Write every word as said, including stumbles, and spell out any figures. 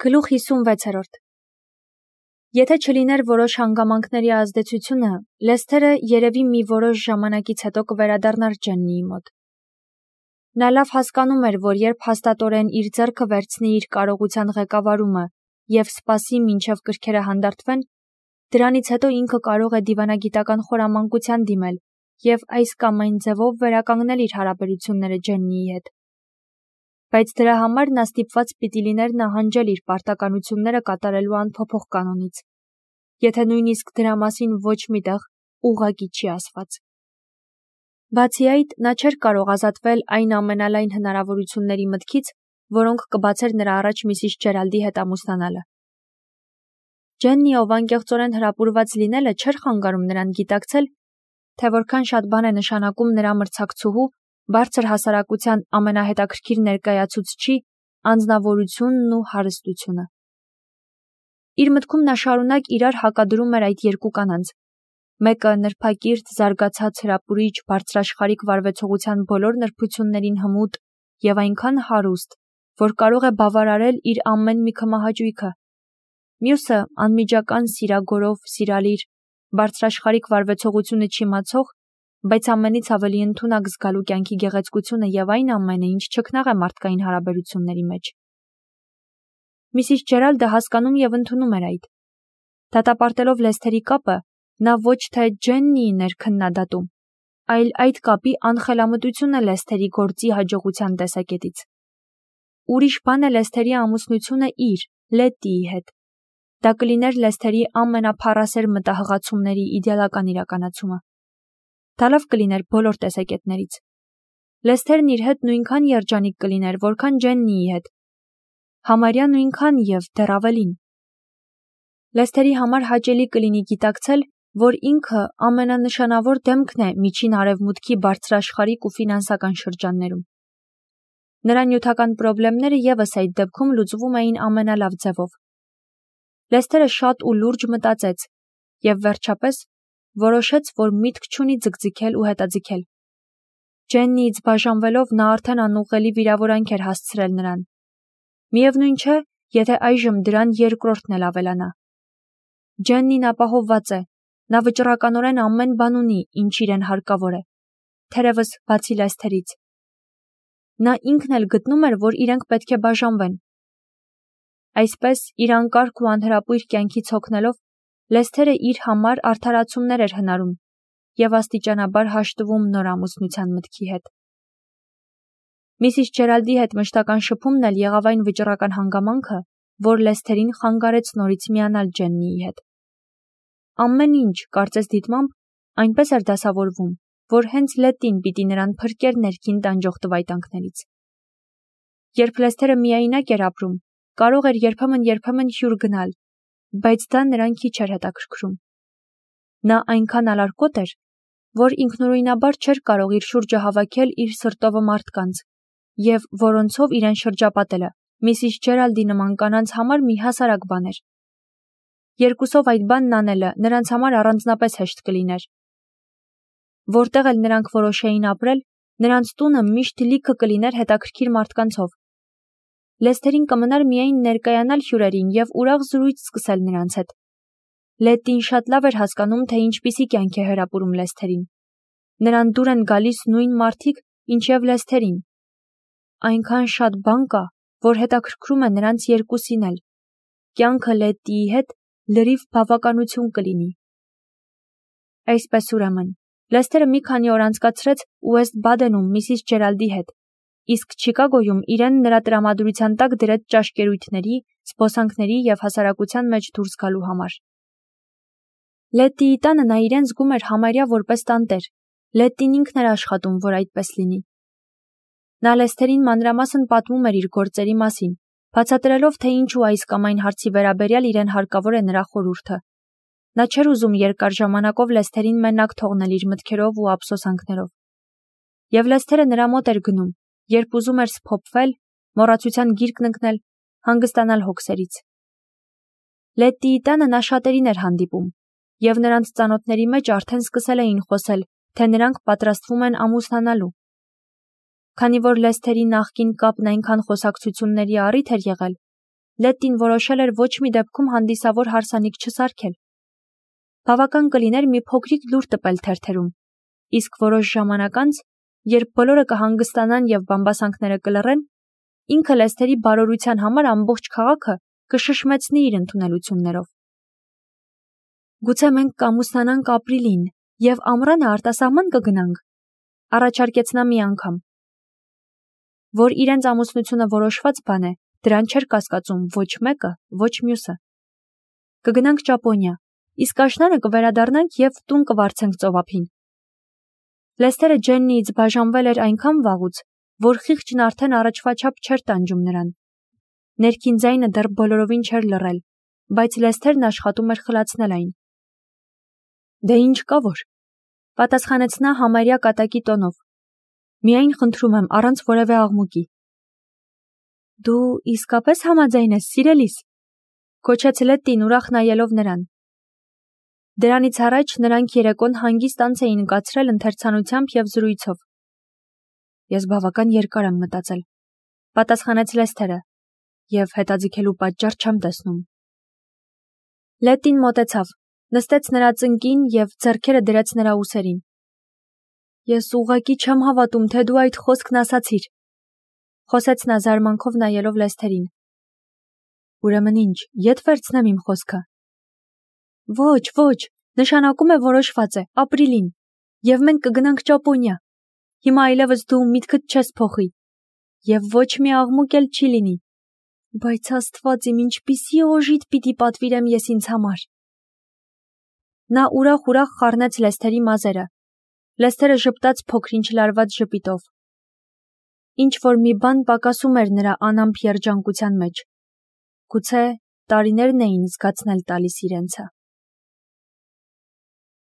Գլուխ հիսունվեցերորդ Եթե չլիներ որոշ հանգամանքների ազդեցությունը, Լեսթերը երևի մի որոշ ժամանակից հետո կվերադառնար Ջեննիի մոտ։ Նա լավ հասկանում էր, որ երբ հաստատորեն իր ձեռքը վերցնի իր կարողության ղեկավարումը և սպասի, մինչև կրքերը հանդարտվեն, դրանից հետո ինքը կարող է դիվանագիտական խորամանկության դիմել և այս կամ այն ձևով վերականգնել իր հարաբերությունները Ջեննիի հետ։ Բայց դրա համար նա ստիպված պիտի լիներ նահանջել իր պարտականությունները կատարելու անփոփոխ կանոնից, եթե նույնիսկ դրա մասին ոչ մի տեղ ուղղակի չի ասված։ Բացի այդ, նա չէր կարող ազատվել այն ամենալայն հնարավորությունների մտքից, որոնք կբացեր նրա առաջ միսիս Ջերալդի հետ ամուսնանալը։ Ջեննի, ով անկեղծորեն հրապուրված լինելը չէր խանգարում նրան գիտակցել, թե որքան շատ բան է նշանակում նրա մրցակցուհու բարձր հասարակության ամենահետաքրքիր ներկայացուցչի անձնավորությունն ու հարստությունը։ Իր մտքում նա շարունակ իրար հակադրում էր այդ երկու կանանց, մեկը նրբակիրթ, զարգացած, հրապուրիչ, բարձրաշխարհիկ վարվեցողության բոլոր նրբություններին հմուտ և այնքան հարուստ, որ կարող է բավարարել իր ամեն մի քմահաճույքը, մյուսը անմիջական սիրագորով, սիրալիր, բարձրաշխարհիկ վարվեցողությունը չիմացող, բայց ամենից ավելի ընդունակ զգալու կյանքի գեղեցկությունը և այն ամենը, ինչ չքնաղ է մարդկային հարաբերությունների մեջ։ Միսիս Ջերալդը հասկանում և ընդունում էր այդ։ Դատապարտելով Լեսթերի կապը, նա ոչ թե Ջեննիին էր քննադատում, այլ այդ կապի անխելամտությունը Լեսթերի գործի հաջողության տեսակետից։ Ուրիշ բան է Լեսթերի ամուսնությունը իր, Լետտիի հետ։ Դա կլիներ Լեսթերի ամենափառասեր մտահղացումների իդեալական իրականացումը։ Դա լավ կլիներ բոլոր տեսակետներից։ Լեսթերն իր հետ նույնքան երջանիկ կլիներ, որքան Ջեննիի հետ։ Համարյա նույնքան և դեռ ավելին։ Լեսթերի համար հաճելի կլինի գիտակցել, որ ինքը ամենանշանավոր դեմքն է միջին արևմուտքի բարձրաշխարհիկ ու ֆինանսական շրջաններում։ Նրա նյութական պրոբլեմները ևս այդ դեպքում լուծվում էին ամենալավ ձևով։ Լեսթերը շատ ու լուրջ մտածեց և վերջապես որոշեց, որ միտք չունի ձգձգել ու հետաձգել։ Ջեննիից բաժանվելով նա արդեն անուղղելի վիրավորանք էր հասցրել նրան։ Միևնույն չէ, եթե այժմ դրան երկրորդն էլ ավելանա։ Ջեննին ապահովված է, նա վճռականորեն ամեն բան ունի, ինչ իրեն հարկավոր է, թերևս բացի Լեսթերից։ Նա ինքն էլ գտնում էր, որ իրենք պետք է բաժանվեն։ Այսպես, իր անկարգ ու անհրապույր կյանքից հոգնելով, Լեսթերը իր համար արդարացումներ էր հնարում և աստիճանաբար հաշտվում նոր ամուսնության մտքի հետ։ Միսիս Ջերալդի հետ մշտական շփումն էլ եղավ այն վճռական հանգամանքը, որ Լեսթերին խանգարեց նորից միանալ Ջեննիի հետ։ Ամեն ինչ, կարծես դիտմամբ, այնպես էր դասավորվում, որ հենց Լետտին պիտի նրան փրկեր ներքին տանջող տվայտանքներից։ Երբ Լեսթերը միայնակ էր ապրում, կարող էր երբեմն-երբեմն հյուր գնալ, բայց դա նրան քիչ էր հետաքրքրում։ Նա այնքան ալարկոտ էր, որ ինքնուրույնաբար չէր կարող իր շուրջը հավաքել իր սրտովը մարդկանց, և որոնցով իրեն շրջապատելը միսիս Ջերալդի նման կանանց համար մի հասարակ բան էր։ Երկուսով այդ բանն անելը նրանց համար առանձնապես հեշտ կլիներ։ Որտեղ էլ նրանք որոշեին ապրել, նրանց տունը միշտ լիքը կլիներ հետաքրքիր մարդկանցով։ Լեսթերին կմնար միայն ներկայանալ հյուրերին և ուրախ զրույց սկսել նրանց հետ։ Լետտին շատ լավ էր հասկանում, թե ինչպիսի կյանք է հրապուրում Լեսթերին։ Նրան դուր են գալիս նույն մարդիկ, ինչև Լեսթերին։ Այնքան շատ բան կա, որ հետաքրքրում է նրանց երկուսին էլ։ Կյանքը Լետտիի հետ լրիվ բավականություն կլինի։ Այսպես ուրեմն, Լեսթերը մի քանի օր անցկացրեց Ուեսթ Բադենում միսիս Ջերալդի հետ, իսկ Չիկագոյում իրեն նրա տրամադրության տակ դրեց ճաշկերույթների, զբոսանքների և հասարակության մեջ դուրս գալու համար։ Լետտիի տանը նա իրեն զգում էր համարյա որպես տանտեր։ Լետտին ինքն էր աշխատում, որ այդպես լինի։ Նա Լեսթերին մանրամասն պատմում էր իր գործերի մասին, բացատրելով, թե ինչու այս կամ այն հարցի վերաբերյալ իրեն հարկավոր է նրա խորհուրդը։ Նա չէր ուզում երկար ժամանակով Լեսթերին մենակ թողնել իր մտքերով ու ափսոսանքներով։ Եվ Լեսթերը նրա մոտ էր գնում, երբ ուզում էր սփոփվել, մոռացության գիրկն ընկնել, հանգստանալ հոգսերից։ Լետտիի տանը նա շատերին էր հանդիպում, և նրանց ծանոթների մեջ արդեն սկսել էին խոսել, թե նրանք պատրաստվում են ամուսնանալու։ Քանի որ Լեսթերի նախկին կապն այնքան խոսակցությունների առիթ էր եղել, Լետտին որոշել էր ոչ մի դեպքում հանդիսավոր հարսանիք չսարքել։ Բավական կլիներ մի փոքրիկ լուր տպել թերթերում, իսկ որոշ ժամանակ անց, երբ բոլորը կհանգստանան եւ բամբասանքները կլռեն, ինքը Լեսթերի բարօրության համար ամբողջ քաղաքը կշշմեցնի իր ընդունելություններով։ Գուցե մենք կամուսնանանք ապրիլին եւ ամռանը արտասահման կգնանք, առաջարկեց նա մի անգամ։ Որ իրենց ամուսնությունը որոշված բան է, դրան չէր կասկածում ոչ մեկը, ոչ մյուսը։ Կգնանք Ճապոնիա, իսկ աշնանը կվերադառնանք եւ տուն կվարձենք ծովափին։ Լեսթերը Ջեննիից բաժանվել էր այնքան վաղուց, որ խիղճն արդեն առաջվա չափ չէր տանջում նրան։ Ներքին ձայնը դեռ բոլորովին չէր լռել, բայց Լեսթերն աշխատում էր խլացնել այն։ Դե ինչ կա որ, պատասխանեց նա համարյա կատակի տոնով։ Միայն խնդրում եմ առանց որևէ աղմուկի։ Դու իսկապես համաձայն ես, սիրելիս, քոչեց Լետտին ուրախ նայելով նրան։ Դրանից առաջ նրանք երեկոն հանգիստ անց էին կացրել ընթերցանությամբ եւ զրույցով։ Ես բավական երկար եմ մտածել, պատասխանեց Լեսթերը, եւ հետաձգելու պատճառ չեմ տեսնում։ Լետտին մոտեցավ, նստեց նրա ծնկին եւ ձեռքերը դրեց նրա ուսերին։ Ես ուղղակի չեմ հավատում, թե դու այդ խոսքն ասացիր, խոսեց նա զարմանքով նայելով Լեսթերին։ Ուրեմն ինչ, ետ վերցնեմ իմ խոսքը։ Ոչ, ոչ, նշանակում է որոշված է, ապրիլին, եւ մենք կգնանք Ճապոնիա։ Հիմա այլևս դու միտքդ չես փոխի, եւ ոչ մի աղմուկ էլ չի լինի։ Բայց Աստված իմ, ինչպիսի օժիտ պիտի պատվիրեմ ես ինձ համար։ Նա ուրախ-ուրախ խառնեց Լեսթերի մազերը։ Լեսթերը ժպտաց փոքրինչ լարված ժպիտով։ Ինչ որ մի բան պակասում էր նրա անամպ երջանկության մեջ։ Գուցե տարիներն էին զգացնել տալիս իրենցը։